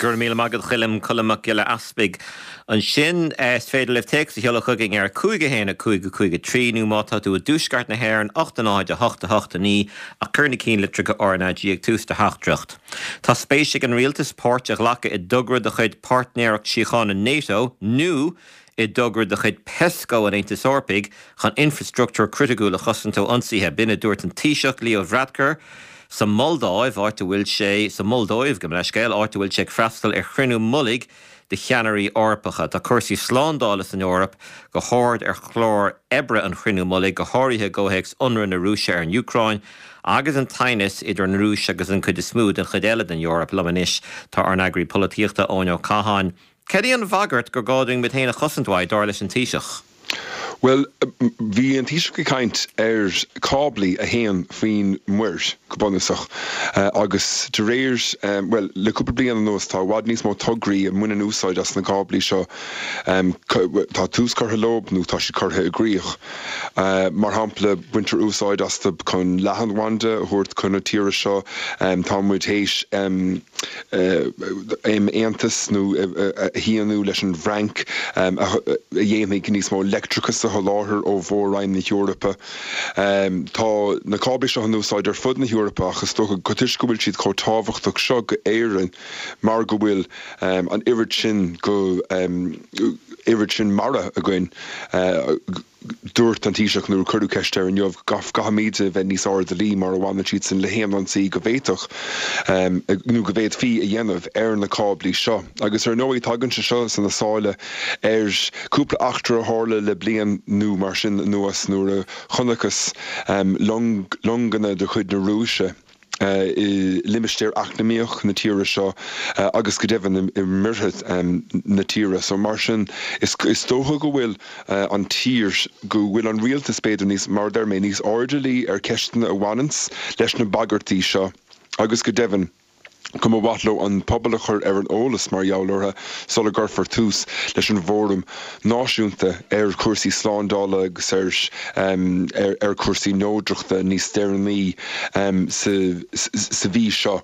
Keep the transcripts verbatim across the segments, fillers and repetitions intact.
Go raibh míle maith agat Choilm Colm Mac Giolla Easpaig. Ansin is féidir libh téacs a sheoladh chugainn ar cúig a haon a cúig a cúig a trí nó má tá tú i dtuaisceart na hÉireann ocht a náid a hocht a hocht a naoi ach cuir na cinnlitreacha RnaG ag tús do theachtaireacht. Tá spéis ag an rialtas páirt a ghlacadh i dtogra de chuid Páirtnéireacht Síochána NATO nó i dtogra de chuid PESCO an Aontais Eorpaigh chun infrastruchtúr criticiúil a chosaint ó ionsaithe b'in a dúirt an Taoiseach Leo Varadkar sa Moldáiv áit a bhfuil sé sa Moldóiv go leiscéil áit a bhfuil sé ag freastal ar chruinniú mullaigh de cheannairí Eorpacha. Tá cúrsaí slándála san Eoraip go hard ar chlár oibre an chruinniú mullaigh go háirithe i gcomhthéacs ionradh na Rúise ar an Úcráin, agus an teannas idir an Rúis agus an chuid is mó den chuid eile den Eoraip liom anois tá ár n-eagraí polaitíochta Eoin Ó Catháin. Cad é an bhagairt gur gá dúinn muid féin a chosaint uaidh dar leis an Taoiseach. Well, bhí an Taoiseach ag caint ar cáblaí a théann faoin muir go bunúsach agus de réir well le cúpla bliain anuas tá i bhfad níos mó tograí a mbaineann úsáid as na cáblaí seo tá tús curtha leo nó tá siad curtha i gcrích. Mar shampla baintear úsáid astu chun leathanbhanda a thabhairt chun na tíre seo tá muid théis aontas nó a shíniú leis an bhFrainc a dhéanfaidh níos mó leictreachas a sholáthar ó mhór-roinn na hEorpa. Tá na cáblaí seo in úsáid ar fud na hEorpa ach is dócha go toisc go bhfuil siad chomh tábhachtach seo go Éirinn mar go bhfuil an oiread sin go oiread sin mara againn dúirt an Taoiseach nuair cuireadh ceist air inniu caithfimid a bheith níos airdeallaí mar a bhaineann siad sin le haon ionsaí go bhféadfadh nó go bhféadfaí a dhéanamh ar na cáblaí seo. Agus ar ndóigh tagann sé seo sna sála ar cúpla eachtra a tharla le bliain nó mar sin anuas nuair a chonacthas longanna de chuid na Rúise. i limistéar eacnamaíoch na tíre seo agus go deimhin i muirthe na tíre. So mar sin is is dócha go bhfuil an tír go bhfuil an rialtas b'fhéidir níos mar deir mé níos airdeallaí ar ceisteanna a bhaineanns leis na bagairtí seo agus go deimhin go mba mhaith leo an pobal a chur ar an eolas mar gheall orthu sula gcuirfear tús leis an bhfóram náisiúnta ar chúrsaí slándála agus ar ar ar chúrsaí neodrachta níos deireanaí sa sa mhí seo.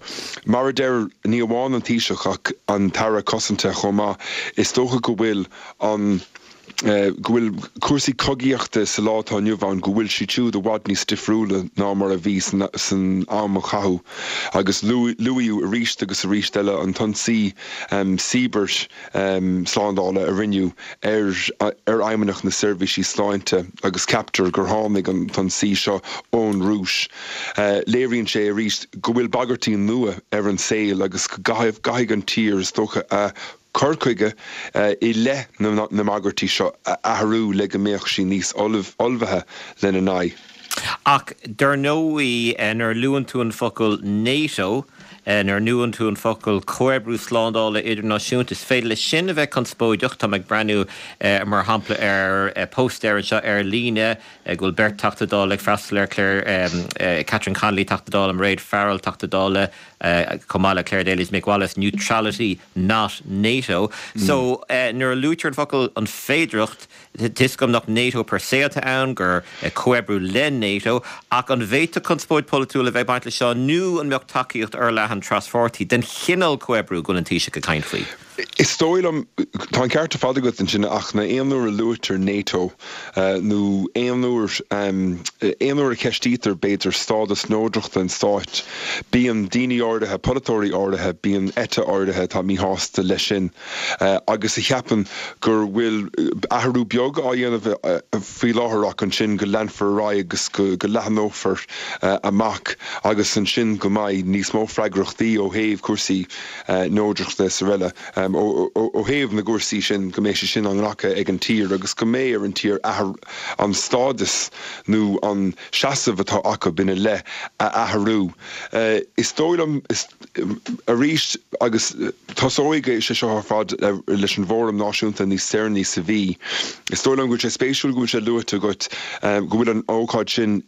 Mar a deir ní amháin an Taoiseach ach an tAire Cosanta chomh maith is dócha go bhfuil an go bhfuil cúrsaí cogaíochta sa lá atá inniu ann go bhfuil siad siúd i bhfad níos difriúla ná mar a bhí san am a caitheadh agus luaíodh arís agus arís eile an t-ionsaí cibearshlándála a rinneadh ar ar Fheidhmeannacht na Seirbhísí Sláinte agus ceaptar gur tháinig an t-ionsaí seo ón Rúis. Léiríonn sé arís go bhfuil bagairtí nua ar an saol agus go gcaithfidh an tír is dócha a cur chuige i leith na mbagairtí seo a athrú le go mbeadh sí níos ullmhaithe lena n-aghaidh. Ach dar ndóigh nuair a luann tú an focal NATO, nuair a luann tú an focal comhoibriú slándála idirnáisiúnta, is féidir leis sin a bheith conspóideach. Tá mé ag breathnú mar shampla ar póstaer anseo ar líne go bhfuil beirt Teachta Dála ag freastal ar Claire Catherine Connolly Teachta Dála Mairéad Farrell Teachta Dála chomh maith le Clare Daly's Mick Wallace neutrality not NATO. So nuair a luaitear an focal an féidearthacht Tá a fhios agam nach NATO per se atá ann gur comhoibriú le NATO ach an bhféadfadh conspóid polaitiúil a bheith baint le seo nó an mbeadh tacaíocht fhorleathan traspháirtí den chineál comhoibriú go bhfuil an Taoiseach ag caint faoi. Is dóigh liom tá an ceart ar fad agat ansin ach na aon uair a luaitear NATO nó aon uair aon uair a cheistítear b'fhéidir stádas neodrachta an stáit, bíonn daoine áirithe, polaiteoirí áirithe, bíonn eite áirithe atá míshásta leis sin agus a cheapann gur bhfuil athrú beag á dhéanamh faoi láthair ach ansin go leanfar ar aghaidh agus go go leathnófar amach agus ansin go mbeidh níos mó freagrachtaí ó thaobh cúrsaí neodrachta is araile ó thaobh na gcúrsaí sin go mbeidh sé sin á nglacadh ag an tír agus go mbeidh ar an tír an stádas nó an seasamh atá acu ina leith a athrú. Is dóigh liom arís agus tosóidh sé seo ar fad leis an bhfóram náisiúnta níos deireanaí sa mhí. Is dóigh liom go bhfuil sé spéisiúil go bhfuil sé luaite agat go bhfuil an ócáid sin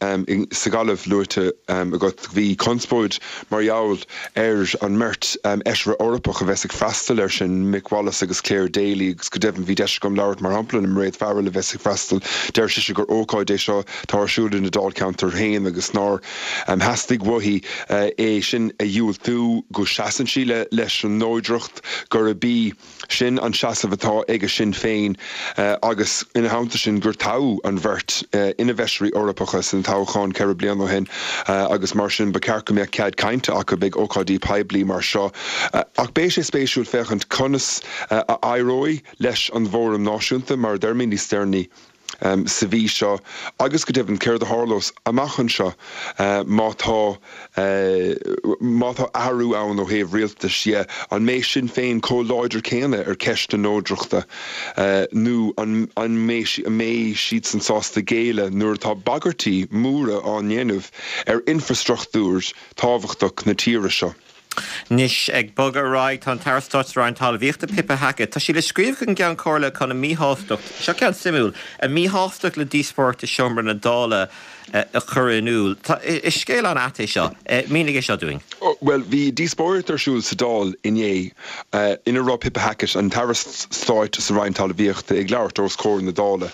sa Ghaillimh luaite agat. Bhí conspóid mar gheall ar an mbeirt fheisire Eorpach a bheas ag freastal air sin. sin, Mick Wallace agus Clare Daly, agus go deimhin bhí deis agam labhairt mar shampla le Mairéad Farrell a bheas ag freastal, deir sise gur ócáid é seo atá ar siúl ina dáilcheantar féin agus nár theastaigh uaithi é sin a dhiúltú, go seasann sí leis an neodracht, gurb í sin an seasamh atá ag Sinn Féin agus ina theannta sin gur toghadh an bheirt ina bhfeisirí Eorpacha san toghchán ceithre bliana ó shin agus mar sin ba cheart go mbeadh cead cainte acu ag ócáidí poiblí mar seo. Ach beidh sé spéisiúil féachaint conas a éireoidh leis an bhFóram Náisiúnta, mar a deir mé níos deireanaí sa mhí seo agus go deimhin céard a tharlós amach anseo má tá má tá athrú ann ó thaobh rialtais dhe, an mbeidh Sinn Féin chomh láidir céanna ar cheist na neodrachta nó an an mbeidh siadsan sásta géilleadh nuair atá bagairtí móra á ndéanamh ar infreastruchtúr tábhachtach na tíre seo. Anois, ag bogadh ar aghaidh, tá an tAire Stáit sa Roinn Talmhaíochta, Pippa Hackett, tá sí le scríobh chuig an gCeann Comhairle chun a míshástacht, seo ceann suimiúil, a míshástacht le díospóireacht i seomra na Dála a chur in iúl. Is scéal an-ait é seo. Mínigh é seo dúinn. Bhuel, bhí díospóireacht ar siúl sa Dáil inné ina raibh Pippa Hackett, an tAire Stáit sa Roinn Talmhaíochta, ag labhairt os comhair na Dála.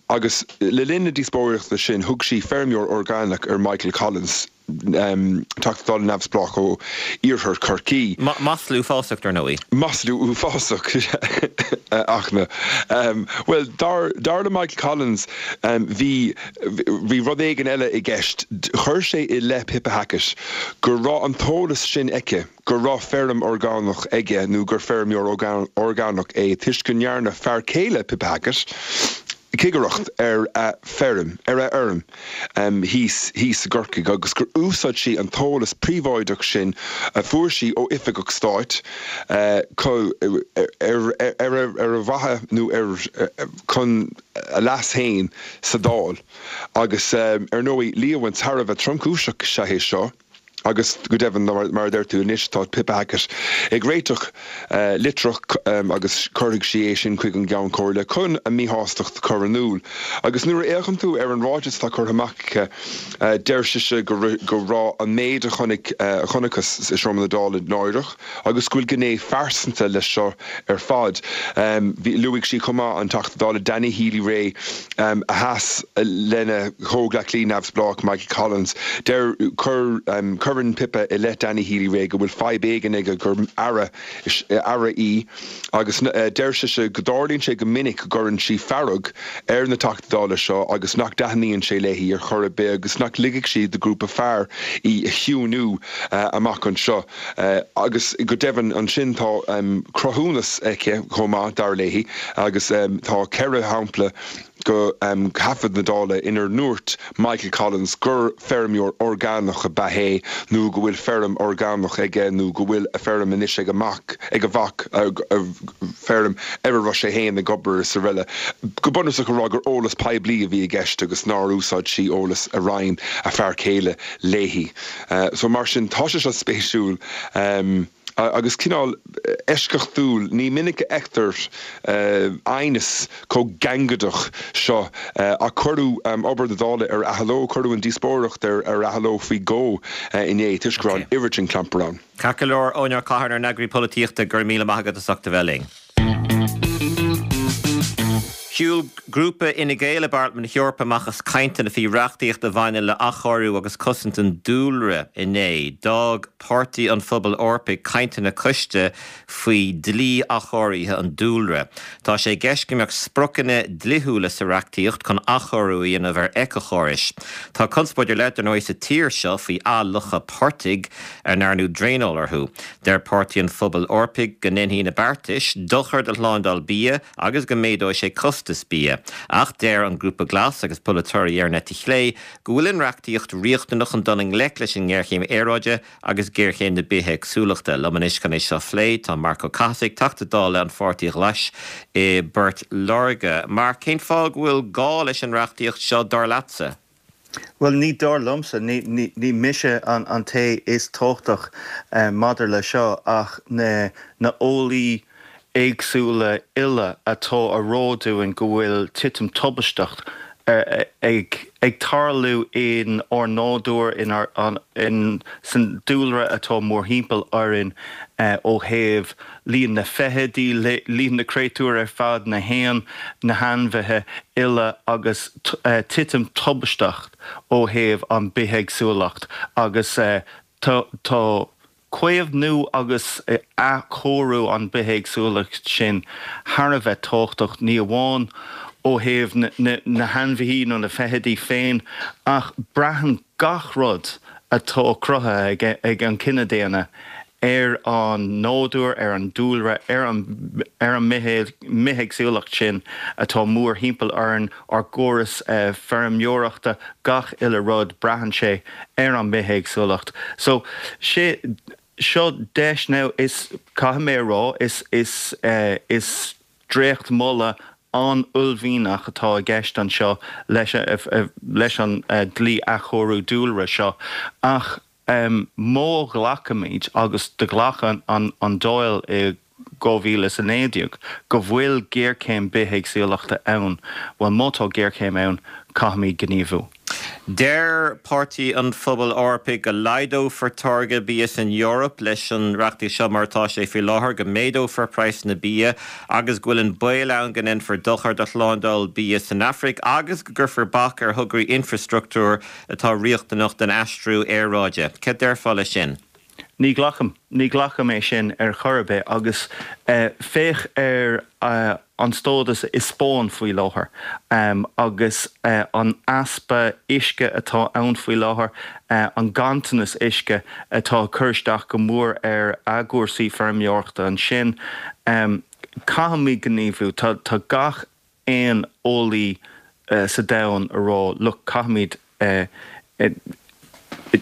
Agus le linn na díospóireachta sin, thug sí feirmeoir orgánach ar Michael Collins. Teachta Dála neamhspleách ó Iarthar Chorcaí. Masla uafásach, dar ndóigh. Masla uafásach, ach, bhuel, dar, dar le Michael Collins, bhí, bhí rud éigin eile i gceist. Chuir sé i leith Pippa Hackett go raibh an t-eolas sin aici go raibh feirm orgánach aige nó gur feirmeoir orgánach é toisc go ndearna fear céile Pippa Hackett, cigireacht ar a feirm, ar a fheirm thíos, thíos i gCorcaigh agus gur úsáid sí an t-eolas príobháideach sin a fuair sí ó oifigeach stáit ar, ar ar mhaithe nó ar, chun a leas féin sa Dáil. Agus ar ndóigh, líomhain thar a bheith tromchúiseach is ea é seo. Agus go deimhin, mar a deir tú anois, tá Pippa Hackett ag réiteach litreach agus cuirfidh sí é sin chuig an gCeann Comhairle chun a míshástacht a chur in iúl. Agus nuair a fhéachann tú ar an ráiteas atá curtha amach aici, deir sise go raibh an méid a chonaic, a chonacthas i seomra na Dála náireach agus go bhfuil gné phearsanta leis seo ar fad. Bhí, luaigh sí chomh maith an Teachta Dála Danny Healy-Rae a sheas lena chomhghleacaí neamhspleách Michael Collins. Deir, chuir, Cuireann Pippa i leith Danny Healy-Rae go bhfuil fadhb éigin aige gur aire, aire í agus deir sise go dtarlaíonn sé go minic go gcuireann sí fearg ar na Teachtaí Dála seo agus nach dtaitníonn sé léi ar chor ar bith agus nach ligfidh sí do ghrúpa fear í a chiúnú amach anseo. Agus go deimhin ansin tá cruthúnas aici chomh maith, dar léi, agus tá ceithre shampla de thaifead na Dála inar ndúirt Michael Collins gur feirmeoir orgánach ab ea é nó go bhfuil feirm orgánach aige nó go bhfuil a feirm anois ag a mac, ag a mhac, feirm ar a raibh sé féin ag obair is araile. Go bunúsach a rá gur eolas poiblí a bhí i gceist agus nár úsáid sí eolas a roinn a fear céile léi. So mar sin tá sé seo spéisiúil. Agus cineál eisceachtúil, ní minic a fheictear aighneas chomh gangaideach seo. Ach cuireadh obair na Dála ar athló, cuireadh an díospóireacht ar athló faoi dhó inné toisc go raibh an oiread sin clampar ann. Ceart go leor, Eoin Ó Catháin, ár n-eagraí polaitíochta, go raibh míle maith agat as ucht a bheith linn. Shiúil grúpa Fhine Gael i bParlaimint na hEorpa amach as cainteanna faoi reachtaíocht a bhaineann le athchóiriú agus cosaint an dúlra inné. D'fhág Páirtí an Phobail Eorpaigh cainteanna coiste faoi dhlí athchóirithe an dúlra. Tá sé i gceist go mbeadh spriocanna dlíthiúla sa reachtaíocht chun athchóiriú a dhéanamh ar éiceachórais. Tá conspóid ar leith, dar ndóigh, sa tír seo faoi athfhliuchadh portaigh a ndearnadh draenáil orthu. Deir Páirtí an Phobail Eorpaigh go ndéanfaidh na beartais dochar do shlándáil bia agus go méadóidh sé costas bia. Ach deir an Grúpa Glas agus polaiteoirí ar an eite chlé go bhfuil an reachtaíocht riachtanach chun dul i ngleic leis an ngéarchéim aeráide agus géarchéim na bithéagsúlachta. Liom anois chun é seo a phlé tá Marc Ó Cathasaigh, Teachta Dála an Pháirtí Ghlais i bPort Láirge. Marc, cén fáth go bhfuil gá leis an reachtaíocht seo dar leatsa? Bhuel, ní dar liomsa, ní mise an té is tábhachtach maidir le seo ach na heolaí éagsúla uile atá a rá dúinn go bhfuil titim tubaisteach ag ag tarlú in ár nádúr in ár an in san dúlra atá mórthimpeall orainn ó thaobh líon na feithidí líon na créatúr ar fad na héin na hainmhithe uile agus titim tubaisteach ó thaobh an bithéagsúlacht agus tá tá caomhnú agus athchóiriú an bithéagsúlacht sin thar a bheith tábhachtach ní amháin ó thaobh na hainmhithe nó na feithidí féin ach braitheann gach rud atá cruthaithe ag an cine daonna ar an nádúr, ar an dúlra, ar an ar an mbithéagsúlacht sin atá mórthimpeall orainn, ár gcóras feirmeoireachta, gach uile rud, braitheann sé ar an mbithéagsúlacht. So sé seo deis now is caithfidh mé a rá is is is dréachtmholadh an-uaillmhianach atá i gceist anseo leis leis an dlí athchóiriú dúlra seo ach má ghlacaimid agus do ghlac an an Dáil i dhá mhíle is a naoi déag go bhfuil géarchéim bithéagsúlachta ann, bhuel má tá géarchéim ann caithfimid gníomhú. Deir Páirtí an Phobail Eorpaigh go laghdófar táirgeadh bia san Eoraip leis an reachtaíocht seo mar atá sé faoi láthair, go méadófar praghsanna bia agus go bhfuil an baol ann go ndéanfar dochar do shlándáil bia san Afraic agus go gcuirfear bac ar thograí infreastruchtúir atá riachtanach don aistriú aeráide. Cad déarfá leis sin? Ní ghlacaim, ní ghlacaim é sin ar chor ar bith agus féach ar an stádas i Spáinn faoi láthair agus an easpa uisce atá ann faoi láthair, an ganntanas uisce atá ag cur isteach go mór ar a gcúrsaí feirmeoireachta ansin. Caithfimid gníomhú. Tá gach aon eolaí sa domhan a rá, look, caithfimid,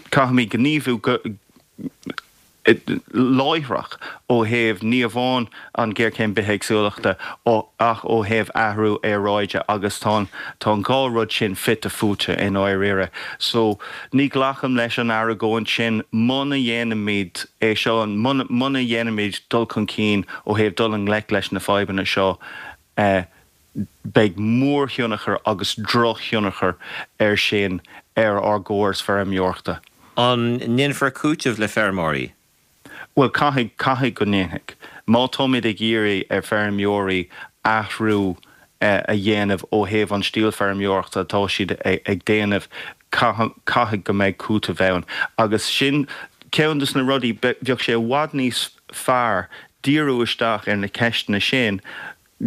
caithfimid gníomhú go láithreach ó thaobh ní amháin an ghéarchéim bithéagsúlachta ach ó thaobh athrú aeráide agus tá an tá an dhá rud sin fite fuaite i ndáiríre. So ní ghlacaim leis an argóint sin muna dhéanaimid é seo, muna muna dhéanaimid dul chun cinn ó thaobh dul i ngleic leis na fadhbanna seo beidh mórthionchar agus drochthionchar air sin ar ár gcóras feirmeoireachta. An ndéanfar cúiteamh le feirmeoirí? Bhuel, caithfidh, caithfidh go ndéanfaidh. Má táimid ag iarraidh ar feirmeoirí athrú a dhéanamh ó thaobh an stíl feirmeoireachta atá siad ag déanamh, caithfidh go mbeidh cúiteamh ann. Agus sin ceann de na rudaí, bheadh sé i bhfad níos fearr díriú isteach ar na ceisteanna sin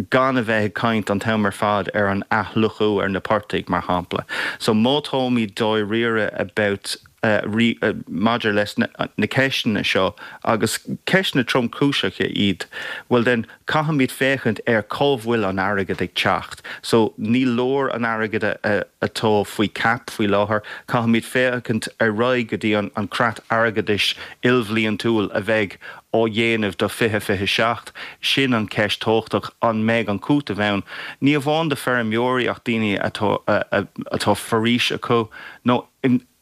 gan a bheith ag caint an t-am ar fad ar an athfhliuchadh ar na portaigh, mar shampla. So má táimid dáiríre about maidir leis na ceisteanna seo, agus ceisteanna tromchúiseacha iad, bhuel then caithfimid féachaint ar cá bhfuil an airgead ag teacht. So ní leor an airgead atá faoi cap faoi láthair, caithfimid féachaint ar aghaidh go dtí an creat airgeadais ilbhliantúil a bheidh á dhéanamh do fiche fiche seacht. Sin an cheist thábhachtach, an mbeidh an cúiteamh ann, ní amháin do feirmeoirí ach daoine atá atá foraois acu nó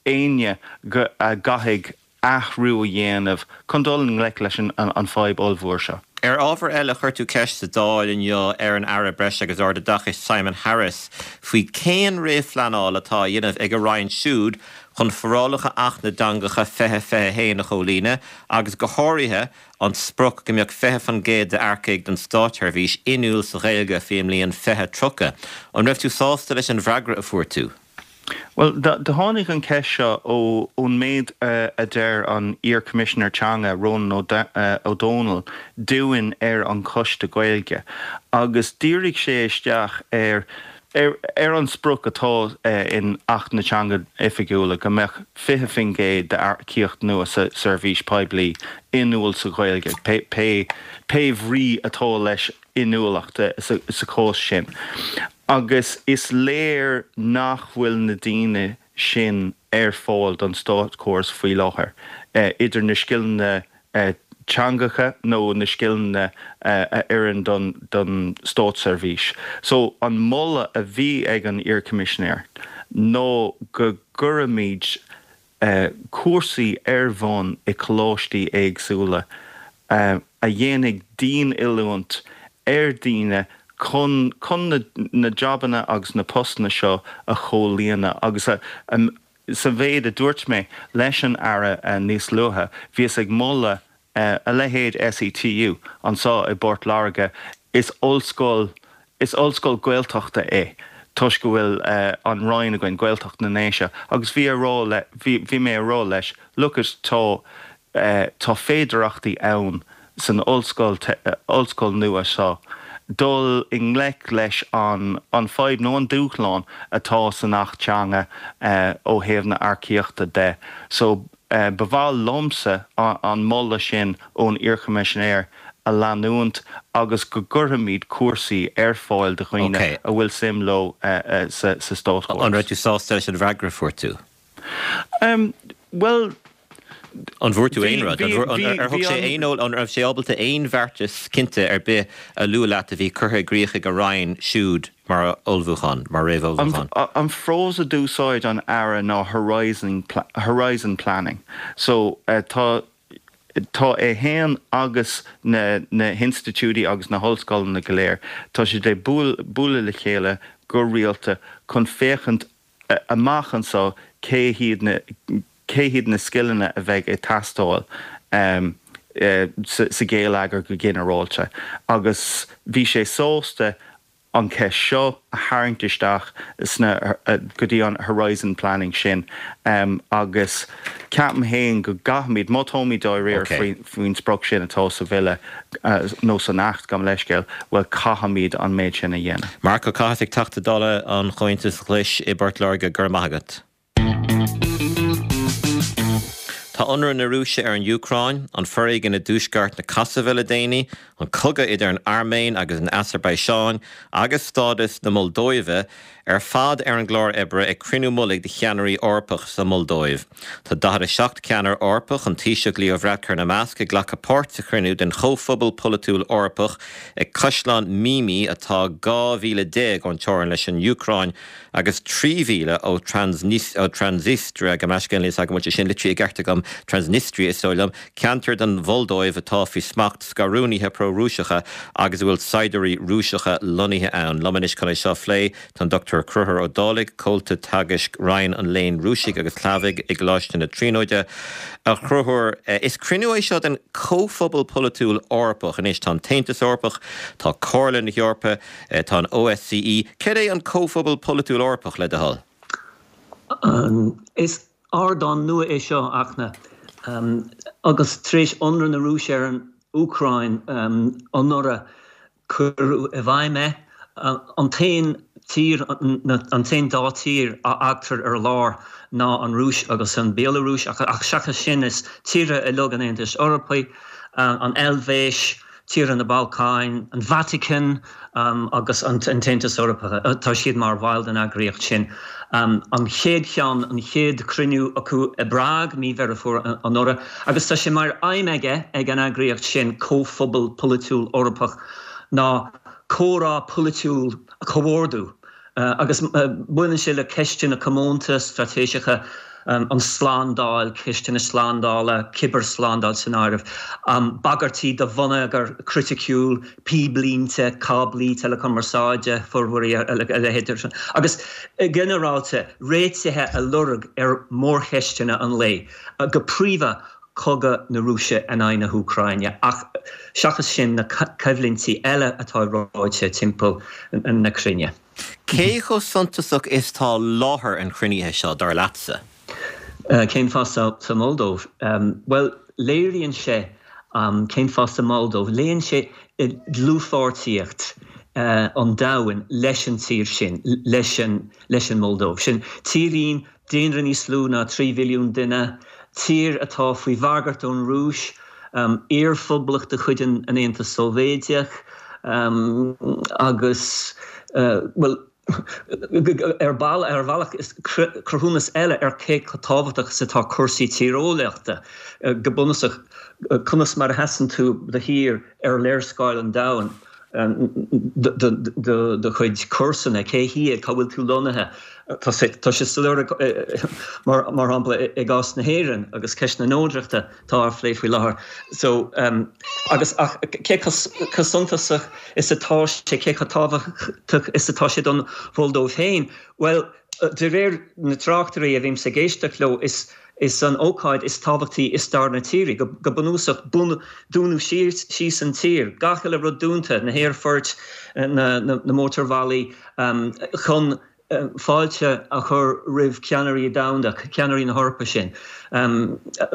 éinne a gcaithfidh athrú a dhéanamh chun dul i ngleic leis an fadhb ollmhór seo. Ar ábhar eile, chuir tú ceist sa Dáil inniu ar an Aire Breise agus Ardoideachais Simon Harris faoi cén réamhphleanáil atá á dhéanamh ag a roinn siúd chun forálacha Acht na dTeangacha fiche fiche a haon a chomhlíonadh agus go háirithe an sprioc go mbeadh fiche faoin gcéad d'earcaigh don státsheirbhís inniúil sa Ghaeilge faoin mbliain fiche tríocha. An raibh tú sásta leis an bhfreagra a fuair tú? Bhuel, do tháinig an cheist seo ón méid a deir an iar-Choimisinéir Teanga, Rónán Ó Domhnaill, dúinn ar an Choiste Gaeilge agus dhírigh sé isteach ar ar an sprioc atá in Acht na Teanga Oifigiúla go mbeadh fiche faoin gcéad d'earcaíocht nua sa seirbhís poiblí inniúil sa Ghaeilge, pé pé bhrí atá leis inniúlacht sa chás sin. Agus is léir nach bhfuil na daoine sin ar fáil don státchóras faoi láthair, idir na scileanna teangacha nó na scileanna a oireann don státseirbhís. So an moladh a bhí ag an iar-Choimisinéir ná go gcuirfimid cúrsaí ar bhun i coláistí éagsúla a dhéanfaidh dian-oiliúint ar dhaoine chun chun na, na jabanna agus na postanna seo a chomhlíonadh agus a, um, sa mhéid a dúirt mé leis an Aire uh, níos luaithe, bhíos ag moladh uh, a leithéid SETU anseo i bPort Láirge is ollscoil is ollscoil Gaeltachta é. Toisc go bhfuil uh, an Roinn againn Gaeltacht na nDéise agus bhí rá le bhí mé rá leis Lucas tá uh, tá féidearthachtaí ann san ollscoil ollscoil nua seo. dul i ngleic leis an an fadhb nó an dúshlán atá san Acht Teanga uh, ó thaobh na hearcaíochta de. So uh, ba mhaith liomsa an, an moladh sin ón iarchoimisinéir a leanúint agus go gcuirfimid cúrsaí ar fáil do dhaoine okay. a bhfuil suim leo uh, uh, sa, sa státchóras. An raibh tú sásta leis an bhfreagra a fuair tú? Um, well, An bhfuair tú aon rud ar thug sé aon an raibh sé ábalta aon bheartas cinnte ar bith a lua leat a bhí curtha i gcrích ag a Roinn siúd mar ullmhúchán mar réamhullmhúchán. An frás a d'úsáid an Aire ná Horizon, Horizon Planning. So uh, tá tá é féin agus na, na hinstitiúidí agus na hollscoileanna go léir. Tá sé de bualadh le chéile go rialta chun féachaint amach anseo cé hiad na cé hiad na scileanna a bheidh ag teastáil um, uh, sa, sa gheilleagar go ginearálta. Agus bhí sé sásta an cheist seo a tharraingt isteach sna uh, go dtí an Horizon Planning sin um, agus ceapaim féin go gcaithfimid má táimid dáiríre okay. faoin sprioc sin atá sa bhille uh, nó san Acht gabh mo leithscéal bhuel caithfimid an méid sin a dhéanamh. Marc Ó Cathasaigh Teachta Dála an Chomhaontais Ghlais i bPort Láirge go raibh maith agat. Tá ionradh na Rúise ar an Úcráin, an foréigean i dtuaisceart na Cosaive le déanaí, an cogadh idir an Airméin agus an Asarbaiseáin agus stádas na Moldóive ar fad ar an gclár oibre ag cruinniú mullaigh de cheannairí Eorpach sa Moldóiv. Tá daichead a seacht ceannaire Eorpach an Taoiseach Leo Varadkar ina measc ag glacadh páirt sa chruinniú den Chomhphobal Polaitiúil Eorpach ag Caisleán Mimi atá dhá mhíle déag ón teorainn leis an Úcráin agus trí mhíle ó Transnistria go meiscéan agam sin litrithe i gceart agam Transnistria is dóigh liom, ceantar den Mholdóiv atá faoi smacht scarúnaithe pro-Rúiseacha agus a bhfuil saighdiúirí Rúiseacha lonnaithe ann. Liom anois chun é seo a phlé tá an Dr Conchúr Ó Dálaigh, comhalta teagaisc Roinn an Léinn Rúisigh agus Shlavaigh i gColáiste na Tríonóide. A Chonchúir is cruinniú é seo den Chomhphobal Polaitiúil Eorpach anois tá an tAontas Eorpach, tá Comhairle na hEorpa, tá an OSCE, Cad é an Comhphobal Polaitiúil Eorpach le do thoil? Um, is ardán nua é seo achna um, agus tar éis ionradh na Rúise ar an Úcráin um, anuraidh cuireadh i bhfeidhm é uh, an t-aon tír an t-aon dá tír a fhágtar ar lár ná an Rúis agus an Bhealarúis ach, ach seachas sin is tíortha uilig an Aontais Eorpaigh, uh, an Eilvéis, tíortha na Balcáin, an Vatican um, agus an, an tAontas Eorpach tá siad mar bhaill den eagraíocht sin. Um, an chéad cheann an chéad chruinniú acu i bPrág mí Dheireadh Fómhair anuraidh, agus tá sé mar aidhm aige ag an eagraíocht sin comhphobal polaitiúil Eorpach ná comhrá polaitiúil a chomhordú. Uh, agus uh, baineann sé le ceisteanna comónta straitéiseacha um, an slándáil, ceisteanna slándála, cibearshlándáil san áireamh. Um, bagairtí do bhonneagar criticiúil, píblínte, cáblaí teileachumarsáide formhuirí a leithéid. Agus ginearálta réitithe a lorg ar mhórcheisteanna an lae, go príomha cogadh na Rúise in aghaidh na hÚcráine ach seachas sin na coimhlintí eile atá reoite timpeall na cruinne. Cé chomh suntasach is tá láthair an chruinnithe seo dar leatsa? Uh, cén fáth sa, sa Moldóiv? Um, well léiríonn sé um, cén fáth sa Moldóiv, léiríonn sé dlúthpháirtíocht uh, an domhain leis an tír sin leis an, leis an Moldóiv. Sin tírín daonra níos lú ná trí mhilliún duine, tír atá faoi bhagairt ón Rúis, um, iarphoblacht de chuid an Aontas Sóivéadach um, agus uh, well, ar ball ar bhealach is cruthúnas eile ar cé chomh tábhachtach is atá cúrsaí tíreolaíochta go bunúsach conas mar a sheasann tú do thír ar léarscáil an domhain. do chuid comharsana, cé hiad, cá bhfuil tú lonnaithe. Tá sé soiléir mar mar shampla i gcás na hÉireann agus ceist na neodrachta atá á phlé faoi láthair. So agus ach cé chomh suntasach is atá sé, cé chomh tábhachtach is atá sé don Mholdóiv féin? Bhuel, de réir na tráchtairí a bhímse ag éisteacht leo, is is an ócáid is tábhachtaí i stair na tíre, go bunúsach dúnadh síos an tír, gach uile rud dúnta, na haerfoirt, na mótarbhealaí, chun fáilte a chur roimh cheannairí domhanda, ceannairí na hEorpa sin.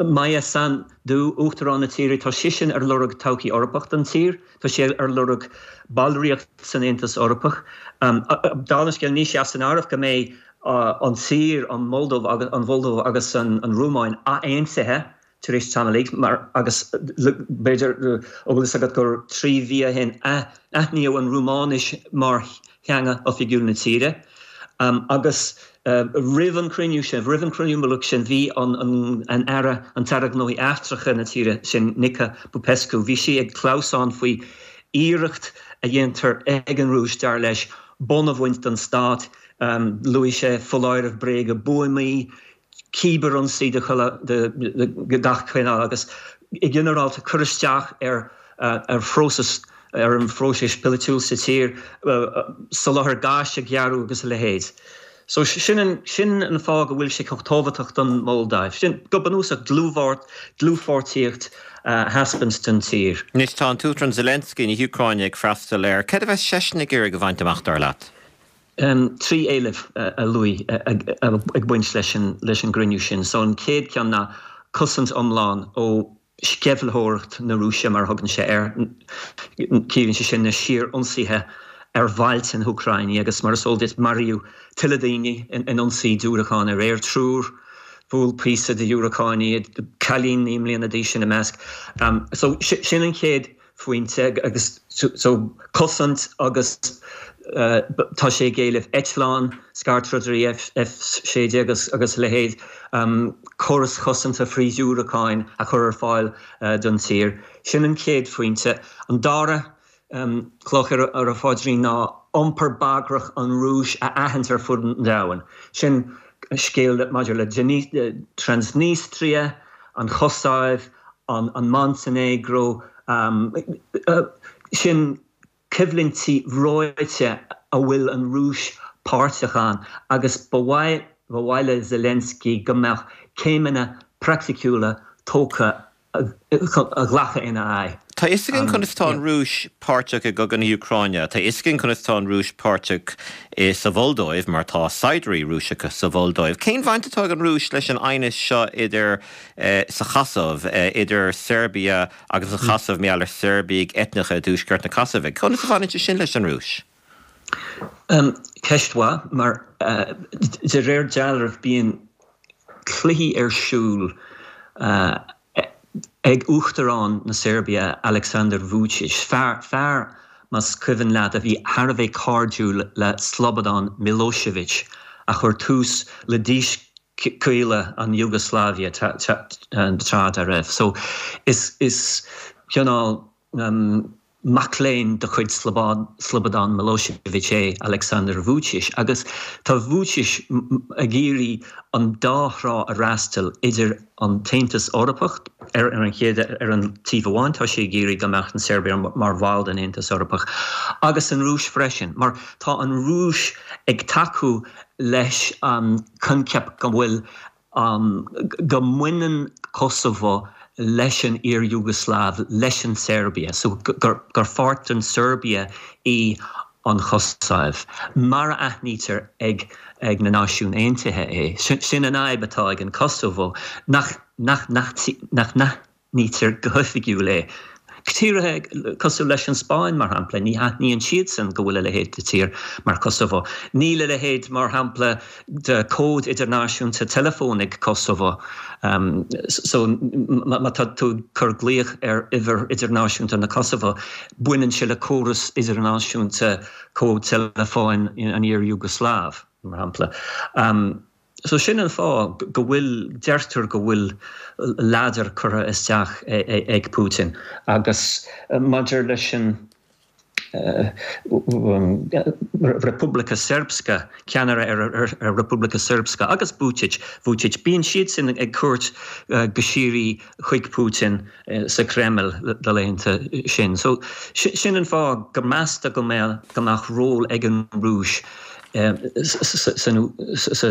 Maia Sandu, Uachtarán na tíre, tá sise ar lorg todhchaí Eorpach don tír, tá sí ar lorg ballraíocht san Aontas Eorpach. Dála an scéil, níl sé as an áireamh go mbeidh an tír, an Mholdóiv an Mholdóiv agus an Rúmáin athaontaithe tar éis tamaill mar agus b'fhéidir go bhfuil fhios agat gur trí mhí ó shin aithníodh an Rúmáinis mar theanga oifigiúil na tíre. Agus roimh an chruinniú sin, roimh an chruinniú mullaigh sin, bhí an an Aire, an tAire Gnóthaí Eachtracha na tíre sin, Nica Popescu, bhí sí ag clamhsán faoi iarracht a dhéantar ag an Rúis, dar leis, bonn a bhaint den stát. Luaigh sé foláireamh bréige buamaí, cíbearionsaí de chuile, de gach cineál agus i ginearálta cur isteach ar ar phróiseas ar an phróiseas polaitiúil sa tír, soláthar gáis a ghearradh agus a leithéid. So sin an sin an fáth go bhfuil sé chomh tábhachtach don Mholdóiv. Sin go bunúsach dlúthpháirtíocht a thaispeáint don tír. Anois tá an tUachtarán Zelensky na hÚcráine ag freastal air. Céard a bheas seisean ag iarraidh a bhaint amach dar leat? Trí éileamh a luaigh ag baint leis an leis an gcruinniú sin. So an chéad cheann ná cosaint iomlán ó sceimhlitheoireacht na Rúise mar a thugann sé air. Ciallaíonn sé sin na síor-ionsaithe ar bhailte na hÚcráine agus mar is eol duit maraíodh tuilleadh daoine in ionsaí diúracáin aréir, triúr, bhuail píosa de dhiúracán iad, cailín naoi mbliana d'aois ina measc. So sin an chéad phointe agus so cosaint agus tá sé ag éileamh eitleáin, scairtrodairí F sé déag agus agus a leithéid, córais chosanta frith-dhiúracáin a chur ar fáil don tír. Sin an chéad phointe. An dara cloch ar a phaidrín ná iompar bagrach an Rúis a aithint ar fud an domhain. Sin scéal maidir le Transnistria, an Chosaiv, an Montainéagró, sin coimhlintí reoite a bhfuil an Rúis páirteach ann agus ba mhaith ba mhaith le Zelensky go mbeadh céimeanna praiticiúla tógtha a ghlacadh ina aghaidh. Tá a fhios againn conas tá an Rúis páirteach i gcogadh na hÚcráine. Tá a fhios againn conas tá an Rúis páirteach sa Mholdóiv mar tá saighdiúirí Rúiseacha sa Mholdóiv. Cén bhaint atá ag an Rúis leis an aighneas seo idir sa Chosaiv, idir Seirbia agus an Chosaiv, mar gheall ar Seirbiaigh eitneacha i dtuaisceart na Cosaive? Conas a bhaineann sé sin leis an Rúis? Ceist mhaith, mar de réir dealraimh bíonn cluichí ar siúl ag Uachtarán na Seirbia, Aleksandar Vučić, fear, fear, más cuimhin leat, a bhí thar a bheith cairdiúil le Slobodan Milošević, a chuir tús le díscaoileadh an Iúgasláive tráth dá raibh. So, is, is cineál mac léinn de chuid Slobodan Milošević é Aleksandar Vučić agus tá Vučić ag iarraidh an dá thrá a fhreastal idir an tAontas Eorpach ar an chéad ar an taobh amháin, tá sé ag iarraidh go mbeadh an Seirbia mar bhall den Aontas Eorpach, agus an Rúis freisin, mar tá an Rúis ag tacú leis an coincheap go bhfuil go mbaineann Kosovo leis an iar-Iúgasláiv, leis an tSeirbia, so gur pháirt den Seirbia í an Chosaiv, mar a aithnítear ag ag na Náisiúin Aontaithe é. Sin an fhadhb atá ag an Kosovo, nach nach nach nach n-aithnítear go hoifigiúil é. Tíortha cosúil leis an Spáinn, mar shampla, ní aithníonn siadsan go bhfuil a leithéid de tír mar Kosovo. Níl a leithéid, mar shampla, de cód idirnáisiúnta teileafóin ag Kosovo. So má tá tú ag cur glaoch ar uimhir idirnáisiúnta na Kosovo, baineann sé le córas idirnáisiúnta cód teileafóin an iar-Iúgasláiv, mar shampla. So sin an fáth go bhfuil, deirtear go bhfuil ladar curtha isteach ag Putin. Agus maidir leis an Republika Srpska, ceannaire ar Republika Srpska agus Vučić, Vučić, bíonn siad sin ag cuairt go síoraí chuig Putin sa Kreml na laethanta sin. So sin an fáth go meastar go mbeadh go mbeadh ról ag an Rúis sa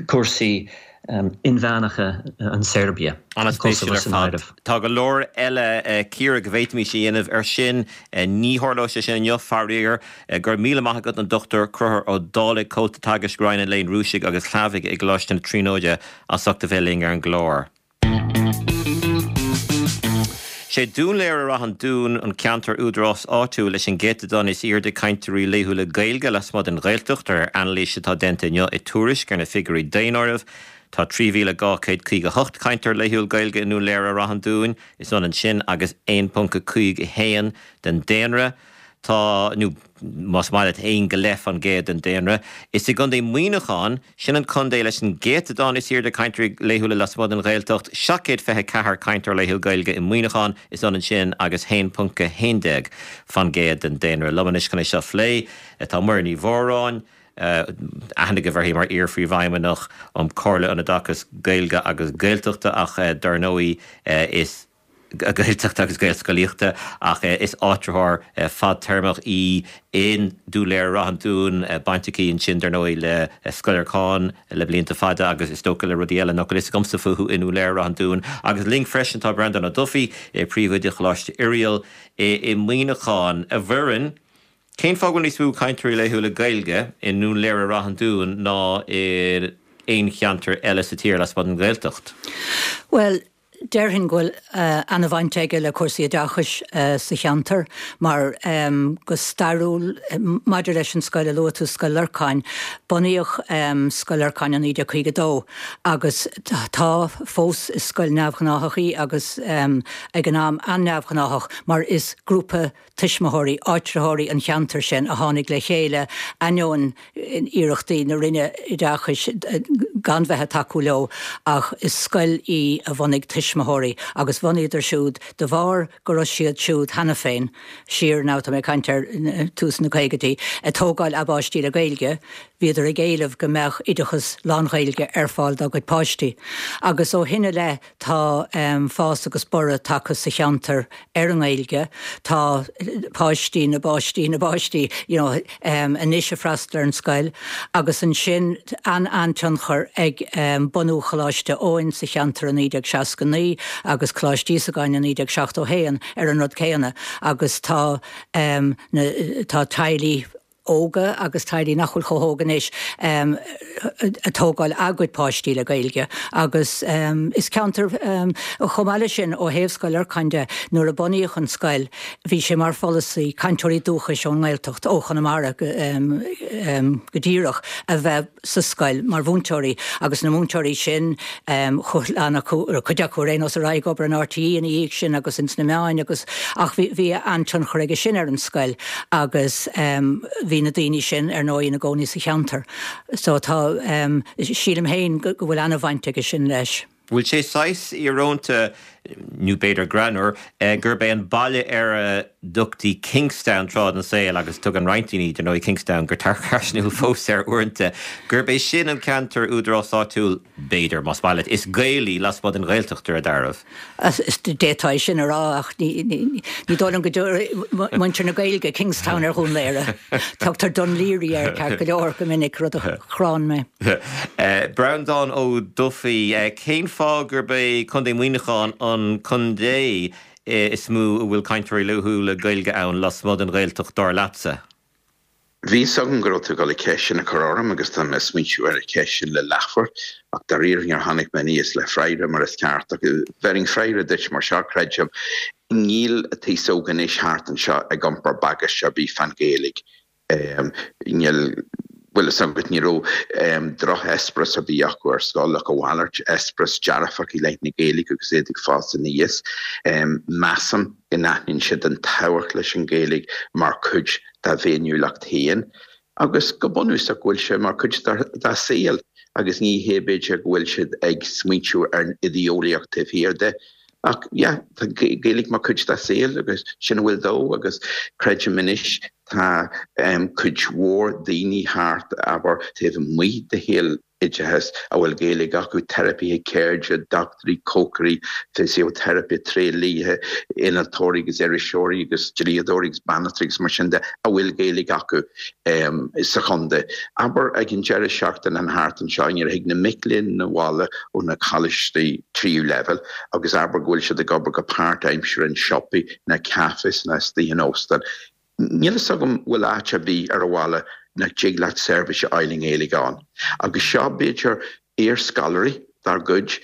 cúrsaí inmheánacha an Seirbia, Kosovo san áireamh. Tá go leor eile cíoradh go bhféadfaimis a dhéanamh ar sin. Ní tharlóidh sé sin inniu, faraor. Go raibh míle maith agat an Dochtúir Conchúr Ó Dálaigh, Comhalta Teagaisc Roinn an Léinn Rúisigh agus Shlavaigh i gColáiste na Tríonóide as ucht a bheith linn ar an gclár. Sé Dún Laoghaire-Rath an Dúin an ceantar údarás áitiúil leis an gcéatadán is airde cainteoirí laethúla Gaeilge lasmuigh den Ghaeltacht de réir anailís atá déanta inniu i Tuairisc ar na figiúirí daonáirimh. Tá trí mhíle dhá chéad caoga hocht cainteoir laethúil Gaeilge i nDún Laoghaire-Rath an Dúin, is ionann sin agus aon ponc a cúig a haon den daonra. Tá, nó más maith leat, aon go leith fan gcéad den daonra. Is i gContae Mhuineacháin, sin an contae leis an gcéatadán is airde cainteoirí laethúla lasmuigh den Ghaeltacht, seacht gcéad fiche ceathair cainteoir laethúil Gaeilge i Muineachán, is ionann sin agus haon ponc a haon déag fan gcéad den daonra. Liom anois chun é seo a phlé tá Muireann Ní Mhóráin, aithne agaibh uirthi mar iar-phríomhfheidhmeannach um Chomhairle an Oideachais Gaeilge agus Gaeltachta ach dar ndóigh is Gaeltachta agus Gaelscolaíochta ach is áitritheoir fadtéarmach í in Dún Laoghaire-Ráth an Dúin, baint aici ansin dar ndóigh le Scoil Lorcáin le blianta fada agus is dócha le rudaí eile nach bhfuil fhios agamsa fúthu i nDún Laoghaire-Ráth an Dúin. Agus linn freisin tá Breandán Ó Dufaigh, Príomhoide Choláiste Oiriall i Muineachán. A Mhuireann, cén fáth go bhfuil níos mó cainteoirí laethúla Gaeilge i nDún Laoghaire-Ráth an Dúin ná in aon cheantar eile sa tír lasmuigh den Ghaeltacht? Bhuel, déarfainn go bhfuil an-bhaint aige le cúrsaí oideachais sa cheantar mar go stairiúil, maidir leis an scoil a luaigh tú, Scoil Lorcáin, bunaíodh Scoil Lorcáin i naoi déag caoga dó agus tá fós, is scoil neamhghnáthach í agus ag an am an-neamhghnáthach mar is grúpa tuismitheoirí, áitritheoirí an cheantair sin a tháinig le chéile ainneoin iarrachtaí na Roinne Oideachais gan bheith ag tacú leo ach is scoil í a bhunaigh tuismitheoirí agus bhunaíodar siúd de bharr go raibh siad siúd cheana féin, siar now tá mé ag caint ar tús na caogaidí, ag tógáil a bpáistí le Gaeilge, bhíodar ag éileamh go mbeadh oideachas lán-Ghaeilge ar fáil dá gcuid páistí. Agus ó shin i leith tá fás agus borradh tagtha sa cheantar ar an nGaeilge. Tá páistí na bpáistí na bpáistí you know anois ag freastal ar an scoil agus ansin an-an-tionchar ag bunú Choláiste Eoin sa cheantar i naoi déag seasca naoi agus Coláiste Íosagáin i naoi déag seachtó haon ar an rud céanna agus tá na tá teaghlaigh óga agus teaghlaigh nach bhfuil chomh hóg anois ag tógáil a gcuid páistí le Gaeilge agus is ceantar chomh maith leis sin ó thaobh Scoil Lorcáin de nuair a bunaíodh an scoil bhí sé mar pholasaí cainteoirí dúchais ón nGaeltacht ó Chonamara go díreach a bheith sa scoil mar mhúinteoirí agus na múinteoirí sin lean acu cuid acu ar aon nós ar aghaidh ag obair in R T E ina dhiaidh sin agus ins na meáin agus ach bhí bhí an-tionchar aige sin ar an scoil agus bhí na daoine sin ar ndóigh ina gcónaí sa cheantar. So tá sílim féin go bhfuil an-bhaint aige sin leis. Bhfuil sé saghas íorónta, nó b'fhéidir greannmhar, gurb é an baile ar a dtugtaí Kingstown tráth den saol, agus tugann roinnt daoine, dar ndóigh, Kingstown go tarcaisniúil fós air uaireanta, gurb é sin an ceantar údarás áitiúil, b'fhéidir, más maith leat, is Gaelaí lasmuigh den Ghaeltacht ar a dealramh? D'fhéadfá é sin a rá ach ní dóigh liom go dtabharfaidh muintir na Gaeilge Kingstown ar Dhún Laoghaire. Tugtar Dún Laoghaire air ceart go leor go minic, rud a chránn mé. Breandán Ó Dufaigh, cén fáth gurb é Contae Mhuineacháin an contae is mó a bhfuil cainteoirí laethúla Gaeilge ann lasmuigh den Ghaeltacht, dar leatsa? Bhí 'fhios agam go raibh tú ag dul an cheist sin a chur orm agus tá mé ag smaointiú ar an cheist sin le leathuair ach dáiríre níor tháinig mé aníos le freagra mar is ceart ach bhéarfainn freagra duit mar seo, creidim. Níl an t-aos óg anois thart anseo ag iompar bagáiste ar bith fán Ghaeilge. Níl, bhfuil fhios agat, ní raibh drocheispéireas ar bith acu ar scoil ach a mhalairt, eispéireas dearfach i leith na Gaeilge agus iad ag fás aníos. Measaim go n-aithníonn siad an tábhacht leis an Ghaeilge mar chuid dá bhféiniúlacht féin agus go bunúsach go bhfuil sé mar chuid dá saol agus ní hé b'fhéidir go bhfuil siad ag smaointiú ar an idé-eolaíocht taobh thiar de. Ach yeah, tá Gaeilge mar chuid dá saol agus sin a bhfuil dó agus creidim anois tá um, cuid mhór daoine thart abair taobh amuigh de shaol oideachais a bhfuil Gaeilge acu, teiripithe ceirde, dochtúirí, cócairí, fisioteiripe, tréidliaithe, innealtóirí agus iriseoirí agus dlíodóirí agus banaltraí agus mar sin de a bhfuil Gaeilge acu um, sa chontae. Abair ag an deireadh seachtaine an thart anseo nuair a thig na mic léinn abhaile ó na coláistí tríú leibhéal agus abair go bhfuil siad ag obair go páirtaimseartha in siopaí ná cafés ná istigh in óstán. Níl fhios agam bhfuil áit ar bith ar an bhaile nach dtig leat seirbhís a fháil i nGaeilge ann. Agus seo b'fhéidir iarscoláirí dár gcuid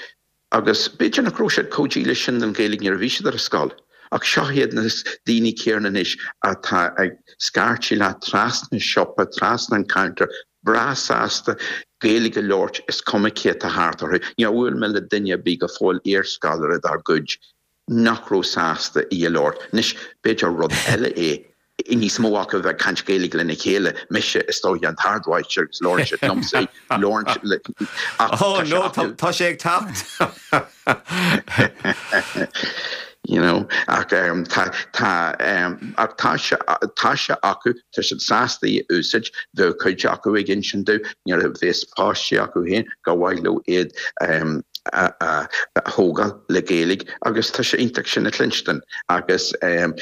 agus b'fhéidir nach raibh siad chomh dílis sin don Ghaeilge nuair a bhí siad ar an scoil. Ach seo iad na daoine céanna anois atá ag scairteadh leat trasna siopa, trasna an counter, breá sásta Gaeilge a labhairt is cuma cé atá thart orthu. Níor bhuail mé le duine ar bith go fóill iarscoláire dár gcuid nach raibh sásta í a labhairt. Anois b'fhéidir rud eile é níos mó acu bheith ag caint Gaeilge lena chéile, mise is dóigh an t-ardmháistir agus labhrann siad liomsa í, labhrann siad le ach Oh tá sé no, acu. tá sé ag teacht! You know, ach um, tá tá um, ach tá sé tá sé acu tá siad sásta í a úsáid, bheadh cuid acu ag insint domh nuair a bheas páistí acu féin gur mhaith leo iad um, a a a thógáil le Gaeilge agus tá sé iontach sin a chluinstin agus um,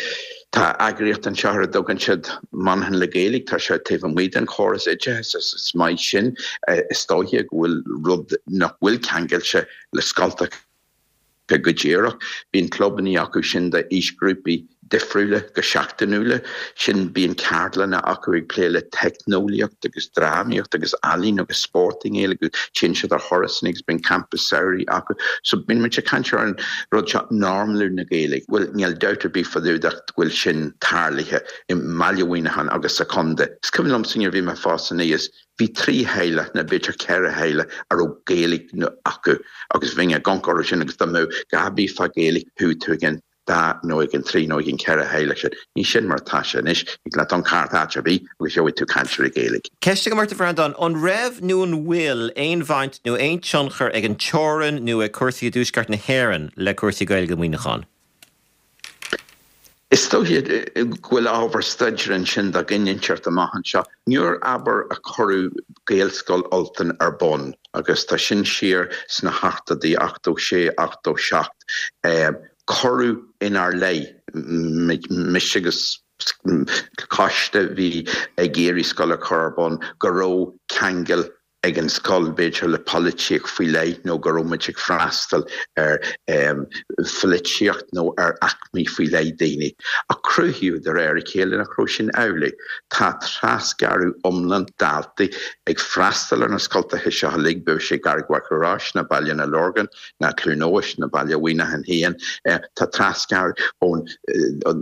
tá eagraíocht anseo ar a dtugann siad Monaghan le Gaeilge, tá sé taobh amuigh den chóras oideachais is is maith sin is dóiche go bhfuil rud nach bhfuil ceangailte le scoltacha go díreach. Bíonn clubanna acu sin d'aoisghrúpaí difriúla go seachtainiúla, sin bíonn ceardlanna acu ag plé le teicneolaíocht agus drámaíocht agus ealaín agus spórt i nGaeilge agus téann siad ar thurasanna agus bíonn campa samhraidh acu. So bíonn muid ag caint ar an rud seo normalú na Gaeilge. Bhuel níl dabht ar bith fá dtaobh de go bhfuil sin tarlaithe i mbaile Mhuineacháin agus sa chontae. Is cuimhin liomsa nuair a bhí mé ag fás aníos, bhí trí theaghlach nó b'fhéidir ceithre theaghlach a raibh Gaeilge acu agus bheinn ag amharc orthu sin agus dá mbeadh a dhath ar bith fá Ghaeilge chuaigh tú ag an dá nó ag an trí nó ag an ceithre theaghlach sin. Ní sin mar atá sé anois. Thig leat dul thart áit ar bith agus gheobhaidh tú cainteoirí Gaeilge. Ceist agam ort a Bhreandáin, an raibh nó an bhfuil aon bhaint nó aon tionchar ag an teorainn nó ag cúrsaí i dtuaisceart na hÉireann le cúrsaí Gaeilge i Muineachán? Is dóiche go bhfuil ábhar staidéir ansin do dhuine inteacht amach anseo. Nuair abair a cuireadh Gaelscoil Ultain ar bun, agus tá sin siar sna hochtóidí, ochtó sé, ochtó seacht, cuireadh inár leith, mise agus coiste a bhí ag iarraidh scoil a chur ar bun, go raibh ceangal ag an scoil, b'fhéidir, le polaitíocht faoi leith nó go raibh muid ag freastal ar pholaitíocht nó ar aicmí faoi leith daoine. Ach cruthaíodh de réir a chéile nach raibh sin amhlaidh. Tá trasghearradh iomlán daltaí ag freastal ar na scoltacha seo uilig, bíodh sé Carraig Mhachaire Rois ná Baile na Lorgan ná Cluain Eois ná Baile Mhuineacháin féin. Tá trasghearradh ó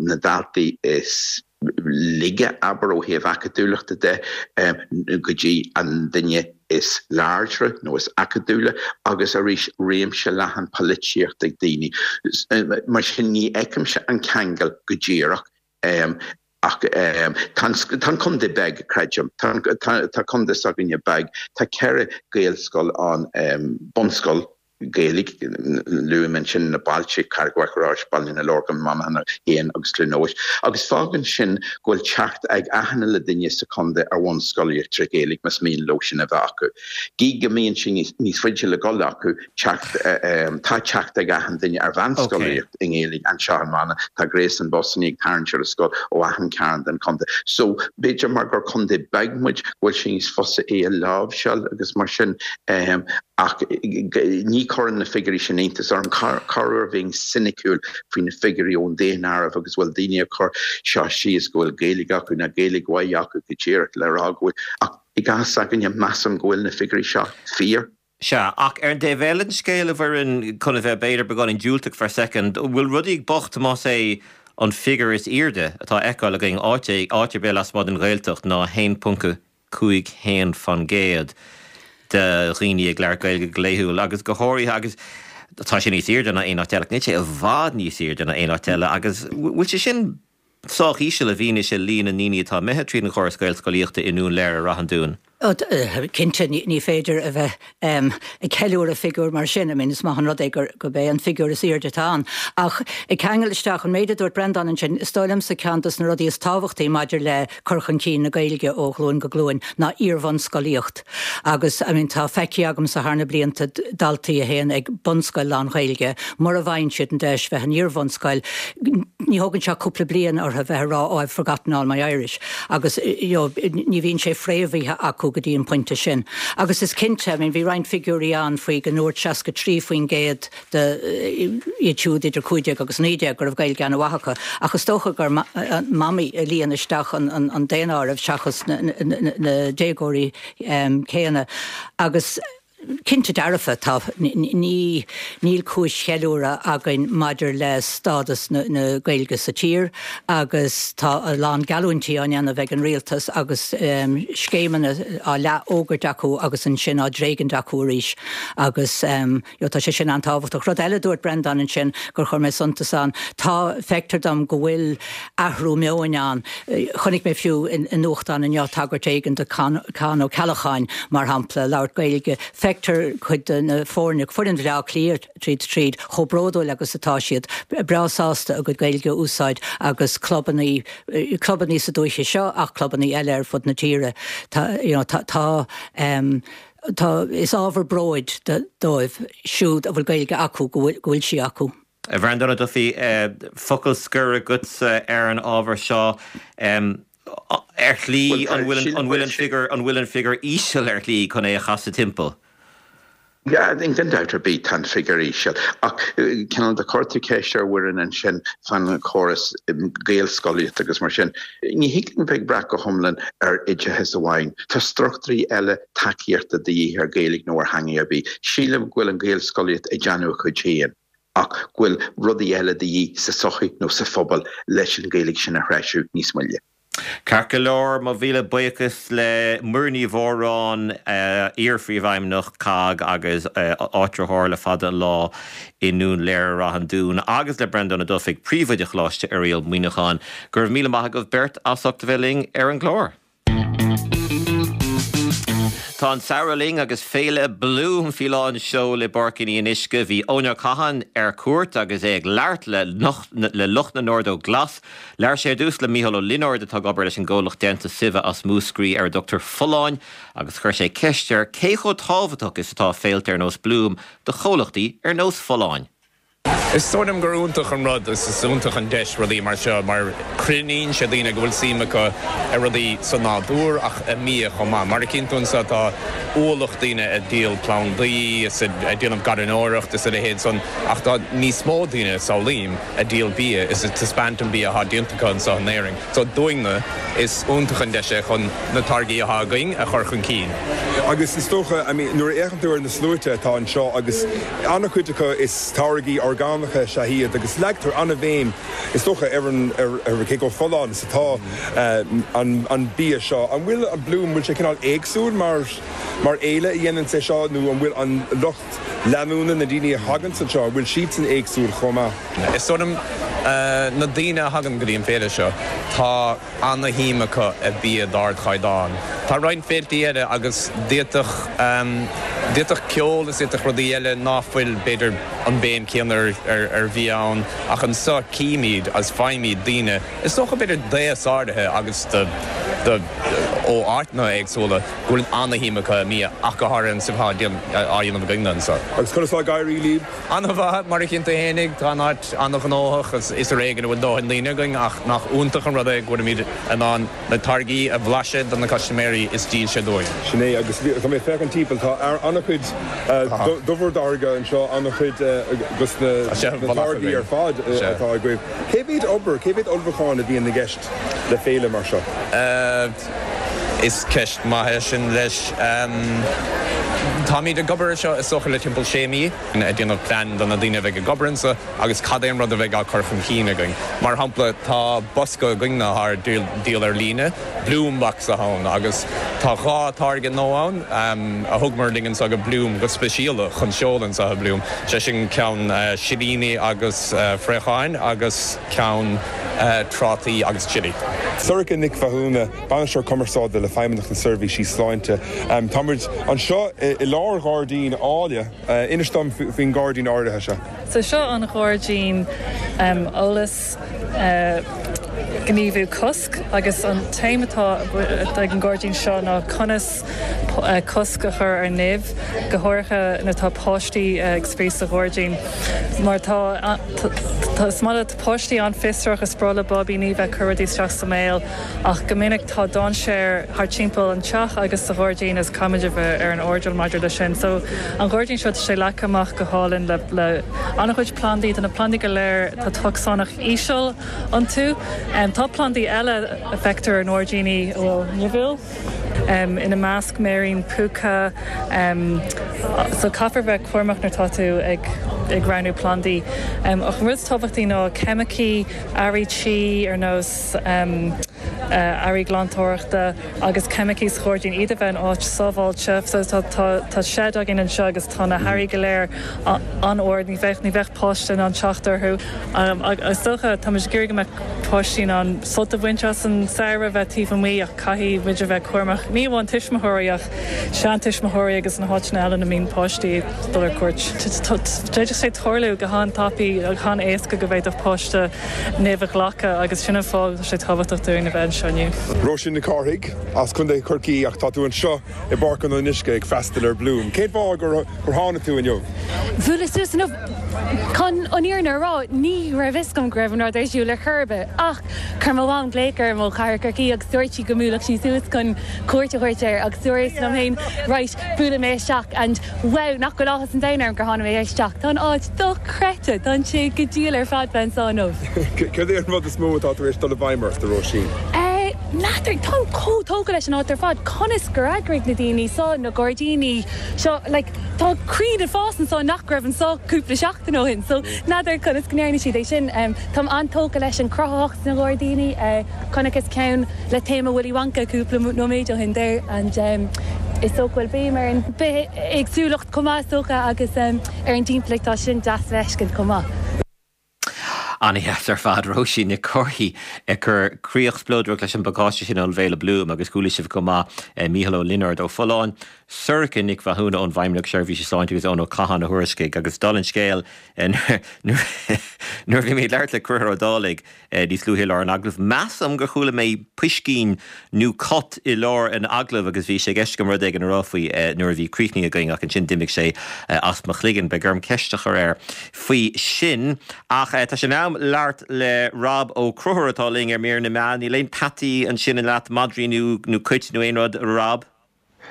na daltaí is laige, abair, ó thaobh acadúlachta de, go dtí an duine is láidre nó is acadúla agus arís réimse leathan polaitíochta ag daoine. Mar sin ní fheicimse an ceangal go díreach ach tá an contae beag, creidim. Tá contae s'againne beag. Tá ceithre Ghaelscoil ann, bunscoil, Gaeilge, luaim ansin na bailte, Carraig Mhachaire Rois, Baile na Lorgan, Monaghan féin agus Cluain Eois, agus fágann sin go bhfuil teacht ag achan uile duine sa chontae ar bhunscolaíocht trí Ghaeilge más mian leo sin a bheith acu. Gidh go mbíonn sé níos faide le dhul acu, teacht, tá teacht ag achan duine ar mheánscolaíocht i nGaeilge anseo in Manainn, tá gréasán busanna ag tarraingt ar an scoil ó achan cearn den chontae. So, b'fhéidir mar gur contae beag muid go bhfuil sé níos fusa é a láimhseáil agus mar sin. Ach ní chuireann na figiúirí sin iontas orm. Corruair bheinn soiniciúil faoi na figiúirí ón daonáireamh agus bhfuil daoine ag cur seo síos go bhfuil Gaeilge acu nó Gaeilge mhaith acu go díreach le rá go bhfuil. Ach i gcás s'againne measaim go bhfuil na figiúirí seo fíor. Sea, ach ar an dtaobh eile den scéal, a Mhuireann, chun a bheith b'fhéidir beagáinín diúltach for a second, bhfuil rudaí bocht más é an figiúr is airde atá á fheiceáil againn áit áit ar bith lasmuigh den Ghaeltacht ná a haon ponc cúig haon faoin gcéad de dhaoine ag labhairt Gaeilge go laethúil agus go háirithe agus tá sé níos airde ná aon áit eile, níl sé i bhfad níos airde ná aon áit eile agus bhfuil sé sin sách íseal i bhfianaise líon na ndaoine atá imithe tríd an chóras Gaelscolaíochta i nDún Léire, Ráth an Dúin? Cinnte ní féidir a bheith ag ceiliúradh figiúr mar sin, I mean is maith an rud é gurb é an figiúr is airde atá ann. Ach ag ceangal isteach an méid a dúirt Breandán ansin, is dóigh liomsa ceann dos na rudaí is tábhachtaí maidir le cur chun cinn na Gaeilge ó ghlúin go glúin ná iar-bhunscolaíocht. Agus I mean tá feicthe agamsa thar na blianta daltaí a théann ag bunscoil lán-Ghaeilge, mura bhfaigheann siad an deis bheith in iar-bhunscoil, ní thógann sé cúpla bliain orthu bheith ag rá oh I've forgotten all my Irish. Agus you know, ní bhíonn sé fréamhaithe acu go dtí an pointe sin. Agus is cinnte, I mean, bhí roinnt figiúirí ann faoi go ndúirt seasca trí faoin gcéad de iad siúd idir cúig déag agus naoi déag go raibh Gaeilge an-mhaith acu, ach is dócha gur mamaí a líon isteach an, an, an daonáireamh seachas na, na, na, na déagóirí um, céanna. Agus cinnte dearfa tá ní níl cúis cheiliúradh againn maidir le stádas na, na Gaeilge sa tír agus tá a lán geallúintí á ndéanamh ag an rialtas agus um, scéimeanna á leath-fhógairt acu agus ansin á dtréigint acu arís agus um, jo, tá sé sin an-tábhachtach. Rud eile dúirt Breandán ansin gur chuir mé suntas ann. Tá feictear dom go bhfuil athrú meoin ann. Chonaic mé fiú in, in nuachtán inniu tagairt éigin do Con Ó Ceallacháin mar shampla labhairt Gaeilge. Feictear cuid de na foirne foireann Bhaile Átha Cliath tríd tríd chomh bródúil agus atá siad breá sásta a gcuid Gaeilge a úsáid agus clubanna clubanna sa dúiche seo ach clubanna eile ar fud na tíre. Tá, you know, tá, tá um, tá is ábhar bróid dóibh siúd a bhfuil Gaeilge acu go bhfuil sí acu. A Bhreandáin Ó Dufaigh focal scoir agatsa ar an ábhar seo um, ar shlí an bhfuil an bhfuil an figiúr an bhfuil an figiúr íseal ar shlí chun é a chasadh timpeall. Yeah, gan dabht ar bith tá an figiúr íseal ach cineál de chuir tú ceist ar Mhuireann ansin fan chóras Gaelscolaíocht agus mar sin. Ní thig linn bheith ag brath go hiomlán ar oideachas amháin. Tá struchtúirí eile tacaíochta de dhíth ar Ghaeilge nó ar theanga ar bith. Sílim go bhfuil an Ghaelscolaíocht ag déanamh a chuid féin ach go bhfuil rudaí eile de dhíth sa sochaí nó sa phobal leis an Ghaeilge sin a threisiú níos moille. Ceart go leor mo mhíle buíochas le Muireann Ní Mhóráin iar-phríomhfheidhmeannach COGG agus áitritheoir le fada an lá i nDún Laoghaire Rath an Dúin agus le Breandán Ó Dufaigh príomhoide Choláiste Oiriall Muineachán, go raibh míle maith agaibh beirt as ucht a bheith linn ar an gclár. Tá an samhradh linn agus féile Bloom faoi lán seoil i bPáirc an Fhionnuisce. Bhí Eoin Ó Catháin ar cuairt agus é ag labhairt le le lucht na nOrdóg Glas. Labhair sé ar dtús le Mícheál Ó Lionáird atá ag obair leis an gcomhlacht déanta suibhe as Múscraí ar a dtugtar Folláin agus chuir sé ceist air cé chomh tábhachtach is atá féilte ar nós Bloom do chomhlachtaí ar nós Folláin. Is dóigh liom gur iontach an rud is is iontach an deis rudaí mar seo mar cruinníonn sé daoine go bhfuil suim acu i rudaí sa nádúr ach i mbia chomh maith. Mar a chíonn tú anseo tá ualach daoine ag díol plandaí is ag déanamh garraíodóireacht is a leithéid san ach tá níos mó daoine samhlaím ag díol bia is ag taispeáint an bia atá déanta acu anseo in Éirinn. So dúinne is iontach an deis é chun na táirgí atá againn a chur chun cinn. Agus is dócha, I mean, nuair a fhéachann tú ar na sluaite atá anseo agus an-chuid acu is táirgí orgánacha is ea iad agus leagtar an-bhéim is dócha ar an ar ar cé chomh folláin is atá an an bia seo. An bhfuil an Bloom bhfuil sé cineál éagsúil mar mar fhéile a dhéanann sé seo nó an bhfuil an lucht leanúna na daoine a thagann anseo, an bhfuil siadsan éagsúil chomh maith? Is dóigh liom na daoine a thagann go dtí an féile seo, tá ana-shuim acu i bia d'ardchaighdeán. Tá roinnt féiltí eile agus d'fhéadfadh d'fhéadfadh ceol is d'fhéadfadh rudaí eile ná fuil b'fhéidir an béim céanna ar ar bhia ann ach anseo címid agus faighimid daoine is dócha b'fhéidir d'aos áirithe agus do do ó áiteanna éagsúla go bhfuil ana-shuim acu i mbia ach go háirithe an stuif atá á dhéanamh againne anseo. Agus conas atá ag éirí libh? An-mhaith, mar a chíonn tú fhéinig, tá an áit an-ghnóthach is is ar éigean a bhfuil dóthain daoine againn ach nach iontach an rud é go bhfuilimid in ann na táirgí a bhlaiseadh do na custaiméirí is dílse dúinn. Sin é, agus tá mé ag féachaint timpeall, tá an-chuid de bhur dtáirge anseo, an-chuid dos na táirgí ar fad atá agaibh. Cé mhéad obair, cé mhéad ullmhúchán a bhíonn i gceist le féile mar seo? Is ceist maith é sin leis. Táimid ag obair ar seo is dócha le timpeall sé mí, ag déanamh plean do na daoine a bheidh ag obair anseo agus cad é an rud a bheidh á cur chun cinn againn. Mar shampla, tá bosca againn atá ar díol ar líne, Bloom Box atá ann, agus tá dhá táirge nua ann a thugamar linn anseo go Bloom go speisialta chun seoladh anseo i Bloom, sé sin ceann silíní agus fraocháin agus ceann trátaí agus chili. Sorcha Nic Mhathúna, Bainisteoir Cumarsáide le Feidhmeannacht na Seirbhísí Sláinte. Táimid anseo i lár ghairdín áille. Inis dom faoin ghairdín áirithe seo. So seo an ghairdín eolas gníomhú cosc agus an téama atá ag an ghairdín seo ná conas cosc a chur ar nimh, go háirithe nuair atá páistí ag spraoi sa ghairdín. Mar tá is maith le páistí an-fhiosrach is breá le báibíní bheith ag cur rudaí isteach sa mbéal ach go minic tá dainséar thart timpeall an teach agus sa ghairdín is caithfimid a bheith ar an airdeall maidir leis sin. So an ghairdín seo tá sé leagtha amach go hálainn le le an-chuid plandaí, tá na plandaí go léir tá tocsaineacht íseal iontu. Um, tá plandaí eile a feictear i ngairdíní a bhfuil nimhiúil. Um, ina measc méirín púca um, so caithfear bheith cúramach nuair atá tú ag ag roghnú plandaí. Um, ach an rud is tábhachtaí ná ceimicí, earraí tí ar nós um, uh, earraí glantóireachta agus ceimicí sa ghairdín iad a bheith in áit sábháilte, so tá, tá, tá seid againn anseo agus tá na hearraí go léir an-ard ní bheadh ní bheadh páiste in ann teacht orthu. Um, agus dócha tá muid ag iarraidh go mbeadh páistí in ann sult a bhaint as an samhradh bheith taobh amuigh ach caithfidh muid a bheith cúramach ní amháin tuismitheoirí ach seantuismitheoirí agus na háiteanna eile ina mbíonn páistí dul ar cuairt. D'fhéadfadh sé tarlú go han-tapaidh go han-éasca go bhféadfadh páiste nimh a ghlacadh agus sin an fáth tá sé tábhachtach dúinn a bheith anseo inniu. Róisín Nic Cárthaigh as Contae Chorcaí ach tá tú anseo i bPáirc an Fhionnuisce ag freastal ar Bloom. Cén fáth gur gur tháinig tú inniu? Bhuaileas suas inniu chun an fhírinne a rá ní raibh fhios agam go raibh an rud ar siúl ar chor ar bith ach chuir mo mham glaoch orm ó chathair Chorcaí agus dúirt sí go mbuailfeadh sí suas chun cuairt a thabhairt air agus dúirt liom féin right buailfidh mé isteach and wow nach bhfuil áthas an domhain orm gur tháinig mé isteach. Tá an áit dochreidte, tá sé go diail ar fad bheith anseo inniu. Cad é an rud is mó atá tar éis dul i bhfeidhm ort, a Róisín? N'fheadar táim chomh tógtha leis an áit ar fad, conas gur eagraigh na daoine seo na gairdíní seo like, tá crainn ag fás anseo nach raibh anseo cúpla seachtain ó shin, so n'fheadar conas go ndearna siad é sin. Um, táim an-tógtha leis an cruthaitheacht sna gairdíní, uh, chonaiceas ceann le téama Willy Wonka cúpla nóiméad ó shin there and um, is dócha go bhfuil béim ar an bithéagsúlacht chomh maith is dócha agus um, ar an timpeallacht tá sin deas le feiscint chomh maith. An-deas ar fad Róisín Nic Cárthaigh ag cur críoch spleodrach leis an bpacáiste sin ón bhFéile Bloom agus chuala sibh chomh maith Mícheál Ó Lionáird ó Folláin, Sorcha Nic Mhathúna ón bhFeidhmeannacht Seirbhíse Sláinte agus Eoin Ó Catháin a thuairiscigh agus dála an scéil nuair bhí mé ag labhairt le Conchúr Ó Dálaigh níos luaithe i lár an agallaimh. Measaim gur chuala mé piscín nó cat i lár an agallaimh agus bhí sé i gceist agam rud éigin a rá faoi nuair a bhí críochnaithe againn ach ansin d'imigh sé as mo chloigeann. Beidh orm ceist a chur air faoi sin. Ach tá sé in am labhairt le Rob Ó Conchúir atá linn ar mír na meán. Níl aon peataí ansin in leat madraí nó nó cait nó aon rud Rob?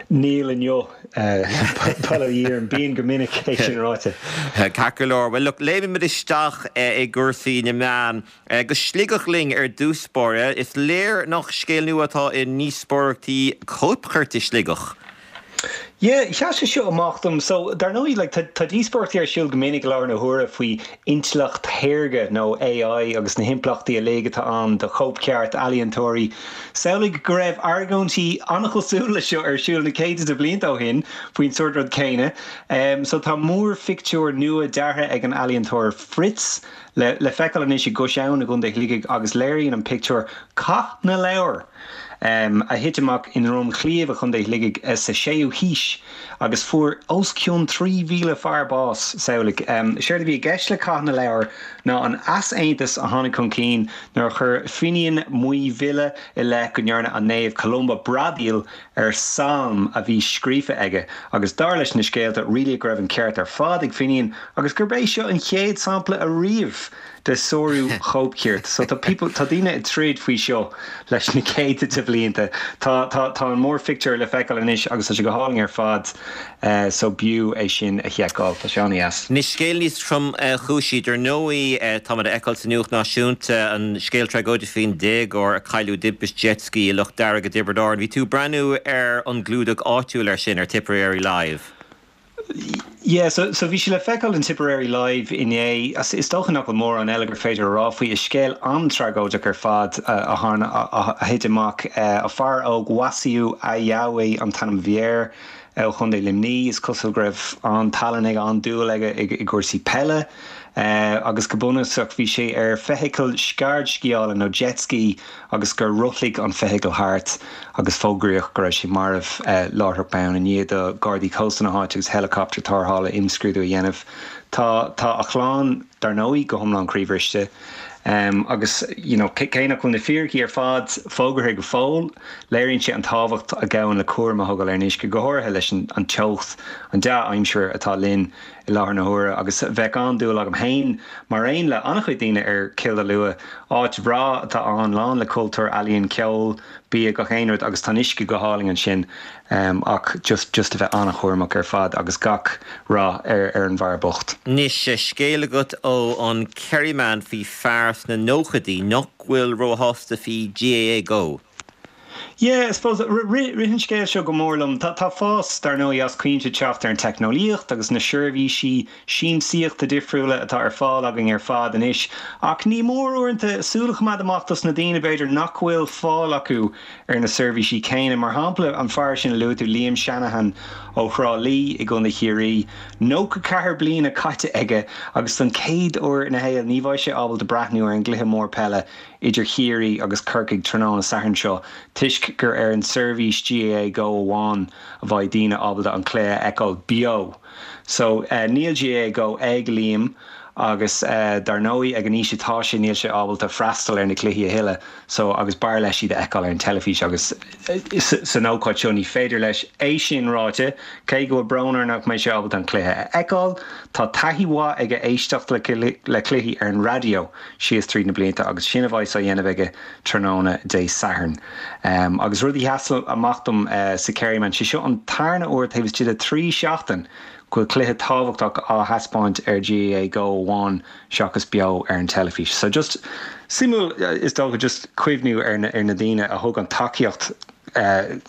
Níl inniu bail ó Dhia orm bíonn go minic é sin ráite. Ceart go leor. Well look, léimimid isteach i gcúrsaí na meán. Go Sligeach linn ar dtús báire, is léir nach scéal nua atá i ndíospóireachtaí cóipchirt i Sligeach. Yeah, sheas sé seo amach dom. So dar ndóigh like, tá, tá díospóireachtaí ar siúl go minic i láthair na huaire faoi intleacht shaorga nó AI agus na himpleachtaí uilig atá ann do chóipcheart ealaíontóirí. Samhlaigh go raibh argóintí an-chosúil le seo ar siúl na céadta de bhlianta ó shin faoin sórt rud céanna. Um, so tá múrphictiúr nua deartha ag an ealaíontóir Fritz le, le feiceáil anois i gCois Abhann i gContae Shligigh agus léiríonn an pictiúr Cath na Leabhar. Um, a thit amach i nDroim Chliabh i gContae Shligigh eh, sa séú haois agus fuair os cionn trí mhíle fear bás samhlaigh. Um, Séard a bhí i gceist le Cath na Leabhar ná an easaontas a tháinig chun cinn nuair a chuir Finian Maigh Bhile i leith go ndearna an naomh Columba bradaíl ar salm a bhí scríofa aige agus dar leis na scéalta rialaigh go raibh an ceart ar fad ag Finian agus gurb é seo an chéad sampla ariamh de sárú chóipchirt. So tá people tá daoine ag troid faoi seo leis na céadta de bhlianta. Tá tá tá an múrphictiúr le feiceáil anois agus tá sé go hálainn ar fad uh, so b'fhiú é sin a sheiceáil tá sé an-deas. Anois scéal níos tromchúisí dar ndóigh táimid a fheiceáil sa nuacht náisiúnta an scéal tragóideach faoin déagóir a cailleadh i dtimpiste jet ski i Loch Dearg i dTiobraid Árann. Bhí tú ag breathnú ar an gclúdach áitiúil ar sin ar Tipperary Live. Yeah, so, so bhí sé le feiceáil in Tipperary Live inné is, is dócha nach bhfuil mórán eile gur féidir a rá faoi is scéal an-tragóideach ar fad uh, a tharla a, a thit amach uh, a fear óg Wasiu Ajawe an t-ainm a bhí air ó Chontae Luimnigh is cosúil go raibh an tallann ag an dúil aige i gcúrsaí peile. Agus go bunúsach bhí sé ar feithicil scairdsciála nó jet ski agus gur rothlaigh an feithicil thart agus fógraíodh go raibh sé marbh láithreach bonn i ndiaidh do Ghardaí Cósta na háite agus helicopter tarrthála imscrúdú a dhéanamh. Tá tá a chlann dar ndóigh go hiomlán croíbhriste. Um, agus you know, cé nach bhfuil na fíricí ar fad fógartha go fóill, léiríonn sé an tábhacht a ghabhann le cúram a thógáil ar an uisce, go háirithe leis an, an teocht, an dea-aimsir atá linn i láthair na huaire agus bheadh an-dúil agam féin mar aon le an-chuid daoine ar Cill Dalua, áit bhreá atá ann, lán le cultúr, ealaíon, ceol, bia, gach aon rud agus tá an uisce go hálainn ansin um, ach just, just a bheith an-chúramach ar fad agus gach rath ar, ar an bhfear bocht. Anois, scéal agat ó an Kerryman faoi fear sna nóchaidí nach bhfuil róshásta faoi GAA Go. Yeah, I suppose rith an scéal seo go mór liom. Tá tá fás dar ndóigh as cuimse teacht ar an teicneolaíocht agus na seirbhísí siamsaíochta difriúla atá ar fáil againn ar fad anois. Ach ní mór uaireanta súil a choimeád amach dos na daoine b'fhéidir nach bhfuil fáil acu ar na seirbhísí céanna. Mar shampla an fear sin a luaigh tú Liam Shanahan ó Thrá Lí i gContae Chiarraí, nócha ceathair bliana caite aige agus don chéad uair ina shaol ní bheidh sé ábalta breathnú ar an gcluiche mór peile idir Chiarraí agus Corcaigh tráthnóna Sathairn seo toisc gur ar an seirbhís GAA Go amháin a bheidh daoine ábalta an cluiche a fheiceáil beo. So uh, níl GAA Go ag Liam agus uh, dar ndóigh ag an aois atá sé níl sé ábalta freastal ar na cluichí a thuilleadh so agus b'fhearr leis iad a fheiceáil ar an teilifís agus san ócáid seo ní féidir leis é sin ráite cé go bhfuil brón air nach mbeidh sé ábalta an cluiche a fheiceáil tá taithí mhaith aige éisteacht le, le cluichí ar an raidió síos tríd na blianta agus sin a bheidh á dhéanamh aige tráthnóna Dé Sathairn. Um, agus rud a sheas amach dom uh, sa Kerryman sé seo an tarna uair taobh istigh de trí seachtain go bhfuil cluiche tábhachtach á thaispeáint ar GAA Go amháin seachas beo ar an teilifís. So just suimiúil is dócha just cuimhniú ar na, ar na daoine a thug an tacaíocht uh,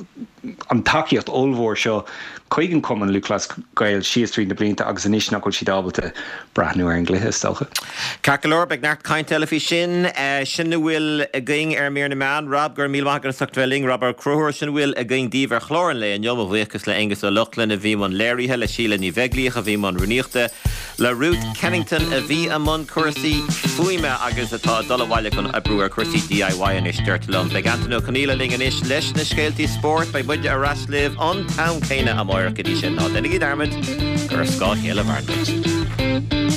an tacaíocht ollmhór seo chuig an Cumann Lúthchleas Gael síos tríd na blianta agus anois nach bhfuil siad ábalta breathnú ar an gcluiche is dócha. Ceart go leor beidh neart cainte eile faoi sin eh, sin a bhfuil againn ar Mír na Meán Rob go raibh míle maith agat as ucht bheith linn Rob Ó Conchúir sin a bhfuil againn daoibh ar chlár an lae inniu mo bhuíochas le Aengus Ó Lochlainn a bhí i mbun léirithe le Síle Ní Bheaglaoich a bhí i mbun rúnaíochta le Ruth Kennington a bhí i mbun cúrsaí fuaime agus atá ag dul abhaile chun oibriú ar chúrsaí DIY anois deirtear liom. Beidh Antain Ó Conghaile linn anois leis na scéaltaí spóirt beidh muide ar ais libh an t-am céanna amárach go dtí sin ná déanaigí dearmad gur ar scáth a chéile a mhaireann muid.